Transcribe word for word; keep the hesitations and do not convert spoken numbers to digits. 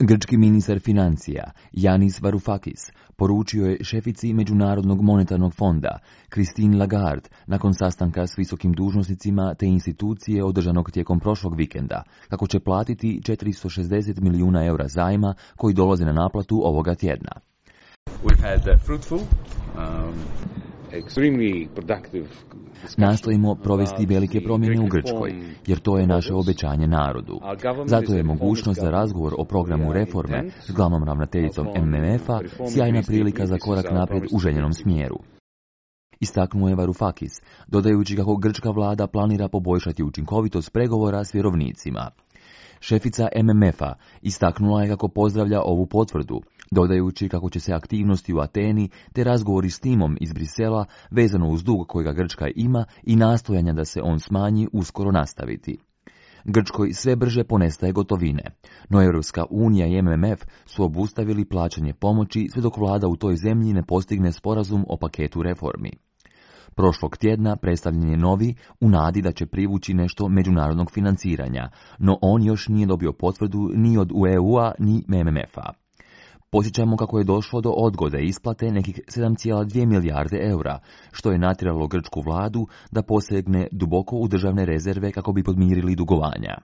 Grčki ministar financija Yanis Varoufakis poručio je šefici Međunarodnog monetarnog fonda Christine Lagarde nakon sastanka s visokim dužnosnicima te institucije održanog tijekom prošlog vikenda kako će platiti četiristo šezdeset milijuna eura zajma koji dolaze na naplatu ovoga tjedna. We've had fruitful, um, extremely productive. Nastojimo provesti velike promjene u Grčkoj, jer to je naše obećanje narodu. Zato je mogućnost za razgovor o programu reforme s glavnom ravnateljicom M M F-a sjajna prilika za korak naprijed u željenom smjeru. Istaknuo je Varoufakis, dodajući kako grčka vlada planira poboljšati učinkovitost pregovora s vjerovnicima. Šefica M M F-a istaknula je kako pozdravlja ovu potvrdu, dodajući kako će se aktivnosti u Ateni te razgovori s timom iz Brisela vezano uz dug kojega Grčka ima i nastojanja da se on smanji uskoro nastaviti. Grčkoj sve brže ponestaje gotovine, no Europska unija i M M F su obustavili plaćanje pomoći sve dok vlada u toj zemlji ne postigne sporazum o paketu reformi. Prošlog tjedna predstavljen je novi u nadi da će privući nešto međunarodnog financiranja, no on još nije dobio potvrdu ni od E U-a ni M M F-a. Posjećamo kako je došlo do odgode isplate nekih sedam zarez dvije milijarde eura, što je natjeralo grčku vladu da posegne duboko u državne rezerve kako bi podmirili dugovanja.